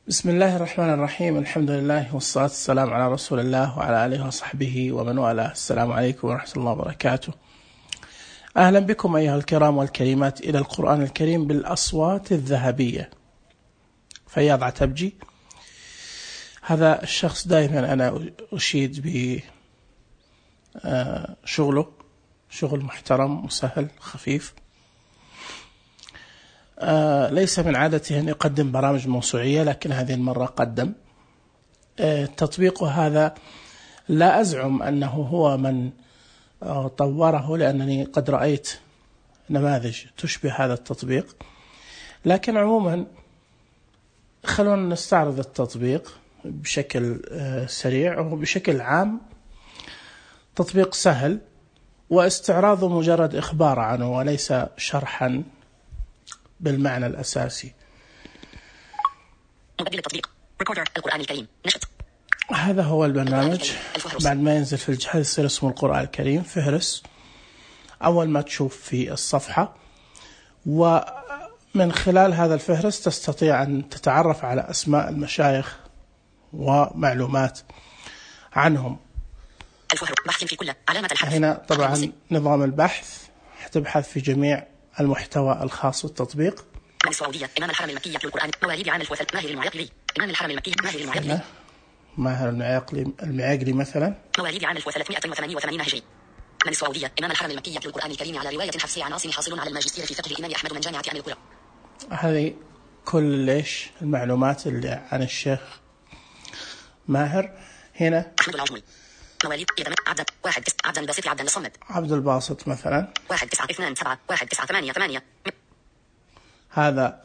بسم الله الرحمن الرحيم. الحمد لله والصلاة والسلام على رسول الله وعلى آله وصحبه ومن والاه. السلام عليكم ورحمة الله وبركاته. أهلا بكم أيها الكرام والكريمات إلى القرآن الكريم بالأصوات الذهبية. فياض عتبجي، هذا الشخص دائما أنا أشيد بشغله، شغل محترم وسهل خفيف. ليس من عادته أن يقدم برامج موسوعية، لكن هذه المرة قدم تطبيقه. هذا لا أزعم أنه هو من طوره، لأنني قد رأيت نماذج تشبه هذا التطبيق، لكن عموما خلونا نستعرض التطبيق بشكل سريع. وبشكل عام تطبيق سهل، واستعراضه مجرد إخبار عنه وليس شرحا بالمعنى الأساسي. مقدم التطبيق ريكوردر القرآن الكريم نشط. هذا هو البرنامج. بعد ما ينزل في الجهاز يصير اسمه القرآن الكريم فهرس. أول ما تشوف في الصفحة، ومن خلال هذا الفهرس تستطيع أن تتعرف على أسماء المشايخ ومعلومات عنهم. بحث في كل علامة الحرف. هنا طبعا نظام البحث، حتبحث في جميع المحتوى الخاص بالتطبيق. من السعودية، إمام الحرم المكي يتلو القرآن، مواليد عام الفوثل، ماهر المعيقلي، إمام الحرم المكي، ماهر المعيقلي مثلا، مواليد عام 1388 هجري. من السعودية، إمام الحرم المكي يتلو القرآن الكريم على رواية حفصي عن عاصم، حاصل على الماجستير في فقه الإمام أحمد من جامعة عن القرى. هذه كل المعلومات اللي عن الشيخ ماهر. هنا أحمد العجمي، مواليد عبد الباسط عبد الصمد، عبد الباسط مثلا 1927 هذا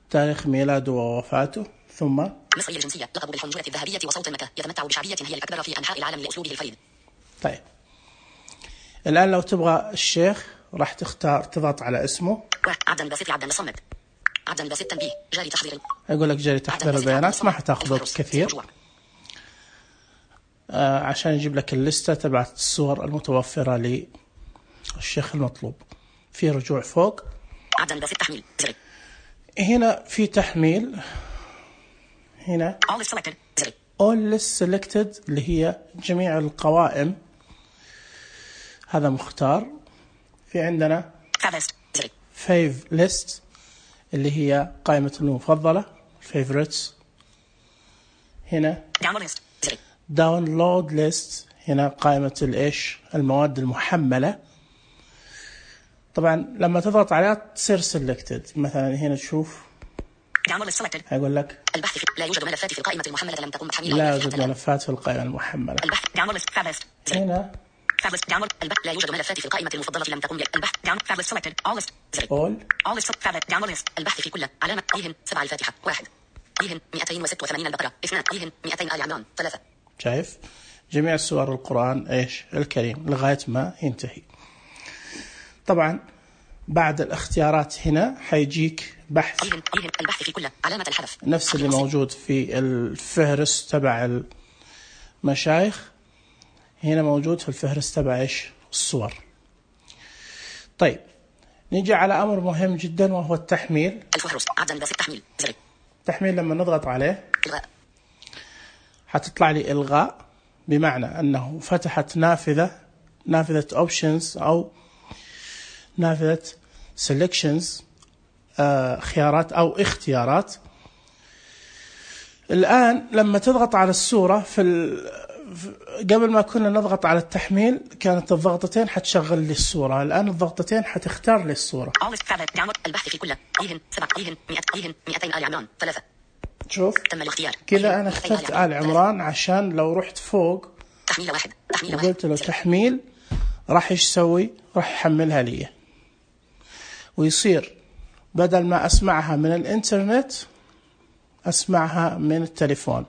تاريخ ميلاده ووفاته. ثم مصري الجنسية، لقب بالحنجرة الذهبية وصوت مكة، يتمتع بشعبية هي الأكبر في أنحاء العالم لأسلوبه الفريد. طيب الآن لو تبغى الشيخ راح تضغط على اسمه. عبد الباسط عبد الصمد، عبد الباسط تنبيه جاري تحضير، يقول لك جاري تحضير البيانات، ما حتاخذ وقت كثير عشان يجيب لك الليستة تبعت الصور المتوفرة للشيخ المطلوب. في رجوع فوق، عبد الباسط تحميل زر. هنا في تحميل، هنا all list selected اللي هي جميع القوائم، هذا مختار. في عندنا fave list اللي هي قائمة المفضلة favorites. هنا download list، هنا قائمة المواد المحملة. طبعا لما تضغط عليها تصير selected. مثلا هنا تشوف هيقول لك البحث لا يوجد ملفات في القائمة المحملة لم تكن محملة. لا يوجد ملفات في القائمة المحملة. البحث هنا البحث لا يوجد ملفات في القائمة المفضلة لم تكن. البحث البحث في كل علامة إيهن 7 الفاتحة 1 إيهن 286 البقرة 2 إيهن 200 آل عمران 3. شايف جميع سور القرآن الكريم لغاية ما ينتهي. طبعا بعد الاختيارات هنا حيجيك بحث البحث في كل علامة الحذف، نفس اللي موجود في الفهرس تبع المشايخ، هنا موجود في الفهرس تبع الصور. طيب نيجي على أمر مهم جدا وهو التحميل. الفهرس عدد تحميل زر. التحميل لما نضغط عليه إلغاء، حتطلع لي إلغاء، بمعنى أنه فتحت نافذة options أو نافذة selections، خيارات أو اختيارات. الآن لما تضغط على الصورة قبل ما كنا نضغط على التحميل كانت الضغطتين حتشغل لي الصورة، الآن الضغطتين حتختار لي الصورة. البحث في كل إيهن 7 إيهن 200 آل عمران 3. شوف تم الاختيار كذا أنا اخترت آل عمران، عشان لو رحت فوق تحميل 1 وقلت له تحميل راح يسوي؟ راح يحملها لي، ويصير بدل ما أسمعها من الإنترنت أسمعها من التليفون.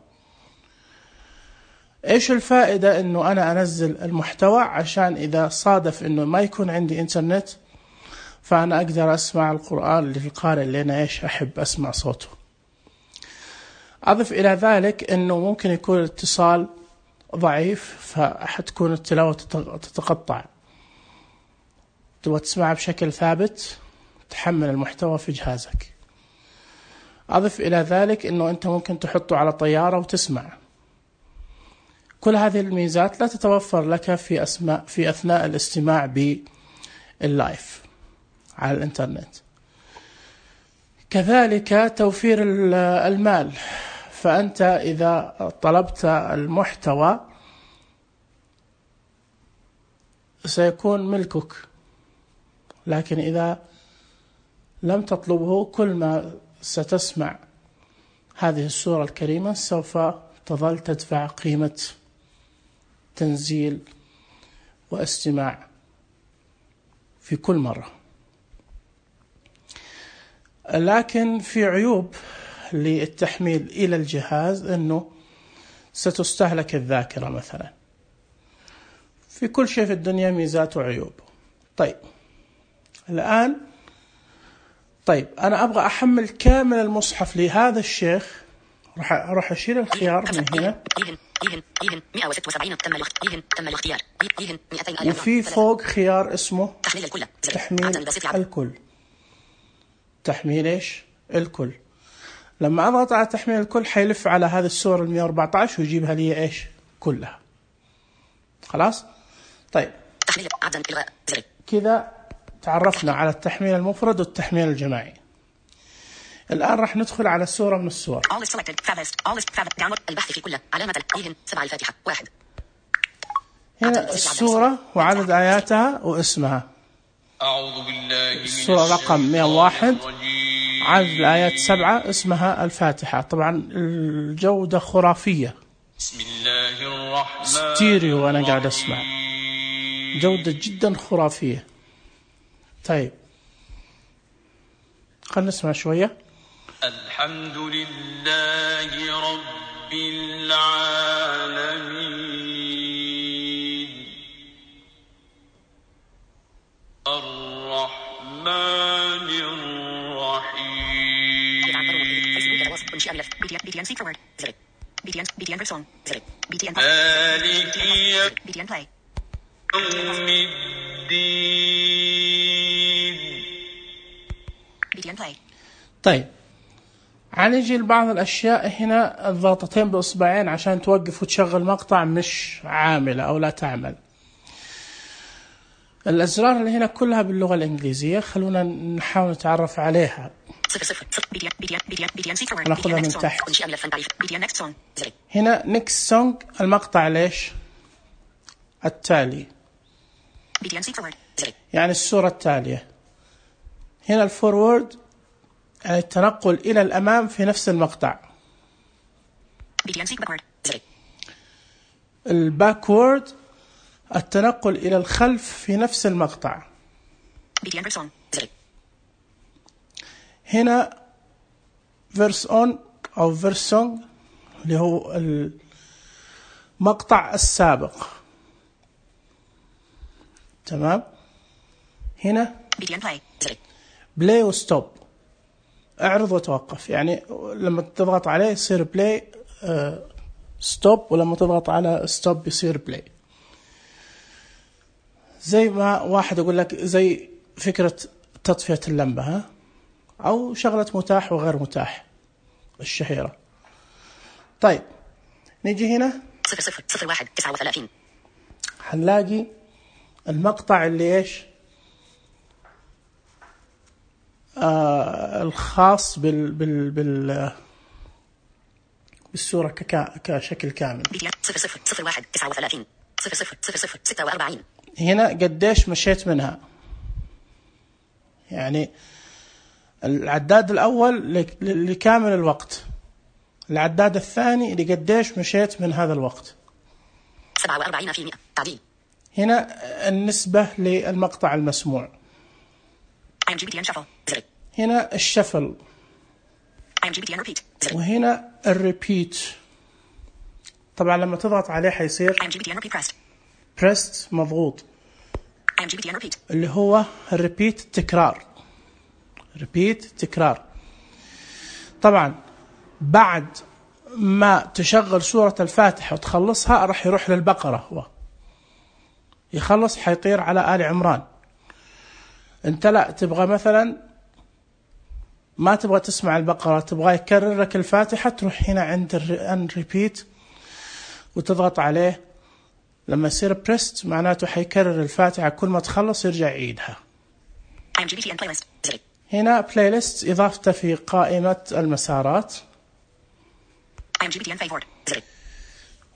إيش الفائدة؟ إنه أنا أنزل المحتوى عشان إذا صادف إنه ما يكون عندي إنترنت فأنا أقدر أسمع القرآن للقارئ اللي أنا أحب أسمع صوته. أضف إلى ذلك إنه ممكن يكون الاتصال ضعيف فحتكون التلاوة تتقطع، تبغى تسمعها بشكل ثابت تحمل المحتوى في جهازك. أضف إلى ذلك أنه أنت ممكن تحطه على طيارة وتسمع. كل هذه الميزات لا تتوفر لك في أثناء الاستماع باللايف على الإنترنت. كذلك توفير المال، فأنت إذا طلبت المحتوى سيكون ملكك، لكن إذا لم تطلبه كل ما ستسمع هذه السورة الكريمة سوف تظل تدفع قيمة تنزيل واستماع في كل مرة. لكن في عيوب للتحميل إلى الجهاز، أنه ستستهلك الذاكرة مثلا. في كل شيء في الدنيا ميزات وعيوب. طيب الآن أنا أبغى أحمل كامل المصحف لهذا الشيخ، راح أشيل الخيار من هنا، وفي فوق خيار اسمه تحميل إيش؟ الكل. لما أضغط على تحميل الكل حيلف على هذه السورة 114 ويجيبها لي إيش؟ كلها. خلاص؟ طيب كذا تعرفنا على التحميل المفرد والتحميل الجماعي. الآن راح ندخل على سورة من السور. البحث في كله علامة 7 الفاتحة 1. هنا السورة وعدد آياتها واسمها. أعوذ بالله من السورة رقم 101 عدد الآيات 7 اسمها الفاتحة. طبعا الجودة خرافية، بسم الله الرحمن ستيريو وأنا قاعد أسمع، جودة جدا خرافية. طيب خلنا نسمع شوية. الحمد لله رب العالمين الرحمن الرحيم مالك يوم الدين. طيب هنيجي لبعض الأشياء هنا. الضغطتين بإصبعين عشان توقف وتشغل مقطع مش عاملة أو لا تعمل. الأزرار اللي هنا كلها باللغة الإنجليزية، خلونا نحاول نتعرف عليها. نأخذها من تحت. هنا next song المقطع ليش؟ التالي، يعني السورة التالية. هنا الفورورد يعني التنقل إلى الأمام في نفس المقطع. الباكورد التنقل إلى الخلف في نفس المقطع. هنا verse on أو verse song اللي هو المقطع السابق. تمام. هنا play وستوب، اعرض وتوقف، يعني لما تضغط عليه يصير بلاي ستوب، ولما تضغط على ستوب يصير بلاي. زي ما واحد يقول لك زي فكرة تطفية اللمبة، ها، أو شغلة متاح وغير متاح الشهيرة. طيب نيجي هنا 00139 هنلاقي المقطع اللي إيش الخاص بالسورة كشكل كامل. 00139 000046. هنا قديش مشيت منها، يعني العداد الأول لكامل الوقت، العداد الثاني لقديش مشيت من هذا الوقت. 47% تعديل. هنا النسبة للمقطع المسموع. هنا الشفل، وهنا الريبيت. طبعا لما تضغط عليه حيصير pressed مضغوط، اللي هو الريبيت التكرار. ريبيت تكرار. طبعا بعد ما تشغل سورة الفاتحة وتخلصها راح يروح للبقرة، هو يخلص حيطير على آل عمران. انت لا تبغى مثلا ما تبغى تسمع البقرة، تبغى يكرر لك الفاتحة، تروح هنا عند الريبيت وتضغط عليه. لما يصير بريست معناته حيكرر الفاتحة، كل ما تخلص يرجع يعيدها. هنا بلاي ليست إضافته في قائمة المسارات،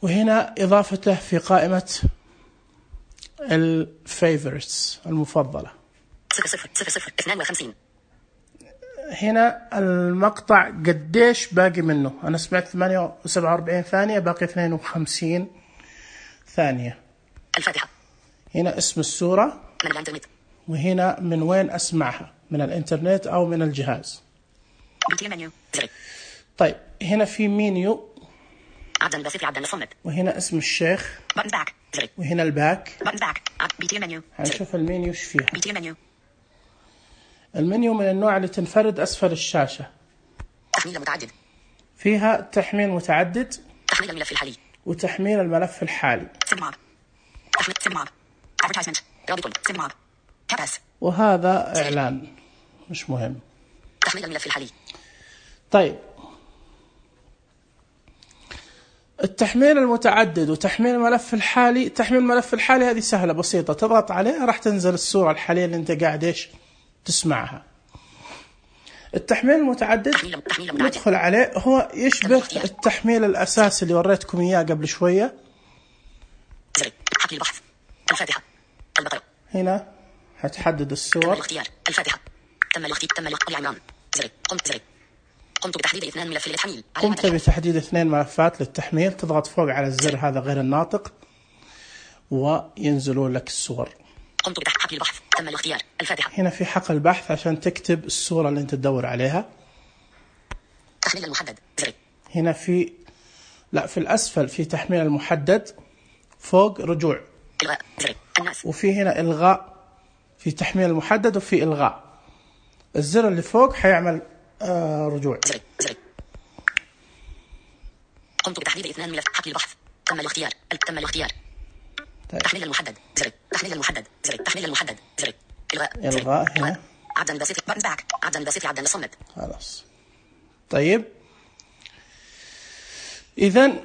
وهنا إضافته في قائمة الفيفورتس المفضلة. 0:52. هنا المقطع قديش باقي منه، أنا سمعت 47 ثانية، باقي 52 ثانية. الفاتحة. هنا اسم السورة، من الإنترنت. وهنا من وين أسمعها، من الإنترنت أو من الجهاز. طيب هنا في مينيو، عبدا الباسط عبدا الصمد، وهنا اسم الشيخ، وهنا الباك. هنشوف المينيو ايش فيها. المنيو من النوع اللي تنفرد أسفل الشاشة. تحميل متعدد. فيها تحميل متعدد، تحميل الملف الحالي، وتحميل الملف الحالي. وهذا إعلان مش مهم. تحميل الملف الحالي. طيب التحميل المتعدد وتحميل الملف الحالي. تحميل الملف الحالي هذه سهلة بسيطة، تضغط عليها راح تنزل الصورة الحالية اللي انت قاعد ايش تسمعها. التحميل المتعدد ندخل عليه، هو يشبه التحميل الأساسي اللي وريتكم إياه قبل شوية. حقل البحث. الفاتحة. البقرة. هنا هتحدد الصور. الاختيار. الفاتحة. تم الاختيار. عمران. قمت بتحديد 2 ملف للتحميل. قمت بتحديد 2 ملفات للتحميل. تضغط فوق على الزر هذا غير الناطق وينزلوا لك الصور. قمت بحقل البحث. تم الاختيار. الفاتحة. هنا في حقل البحث عشان تكتب الصورة اللي انت تدور عليها. تحميل المحدد. هنا في الأسفل في تحميل المحدد، فوق رجوع. إلغاء. الناس. وفي هنا إلغاء، في تحميل المحدد وفي إلغاء. الزر اللي فوق حيعمل رجوع. قمت بتحديد 2 ملف. حقل البحث. تم الاختيار. طيب. تحميل المحدد. تحميل المحدد. إلغاء هنا. عبدا الباسط عبدا الصمد. خلاص. طيب إذن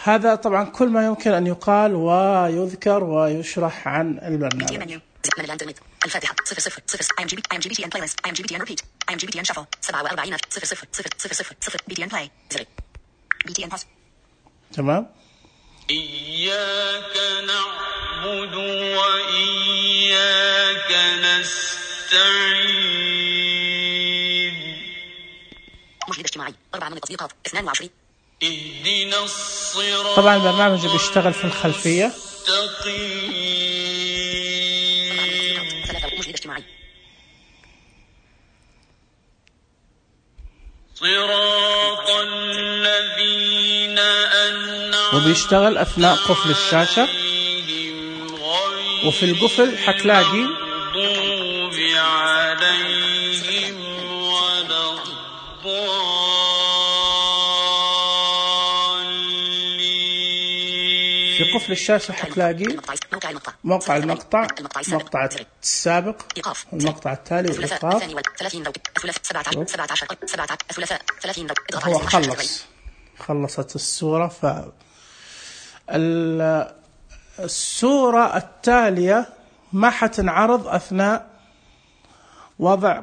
هذا طبعا كل ما يمكن أن يقال ويذكر ويشرح عن البرنامج. من الإنترنت. الفاتحة. 0:00. IMGBTN playlist. IMGBTN repeat. IMGBTN shuffle. 47 0:00. BTN play. BTN pause. تمام. إياك نعبد وإياك نستعين. مشهد اجتماعي. 4 من التطبيقات. 22. اهدنا الصراط. طبعا البرنامج بيشتغل في الخلفية. مشهد اجتماعي. صراط الذين أنعمت وبيشتغل أثناء قفل الشاشة، وفي القفل حتلاقي في قفل الشاشة حتلاقي موقع المقطع، مقطع السابق، المقطع التالي والإيقاف. هو خلصت الصورة. الصورة التالية ما حتنعرض أثناء وضع،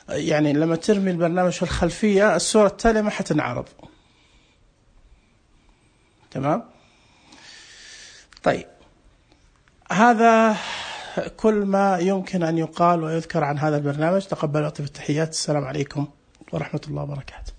يعني لما ترمي البرنامج في الخلفية الصورة التالية ما حتنعرض. تمام. طيب هذا كل ما يمكن أن يقال ويذكر عن هذا البرنامج. تقبلوا أطيب التحيات. السلام عليكم ورحمة الله وبركاته.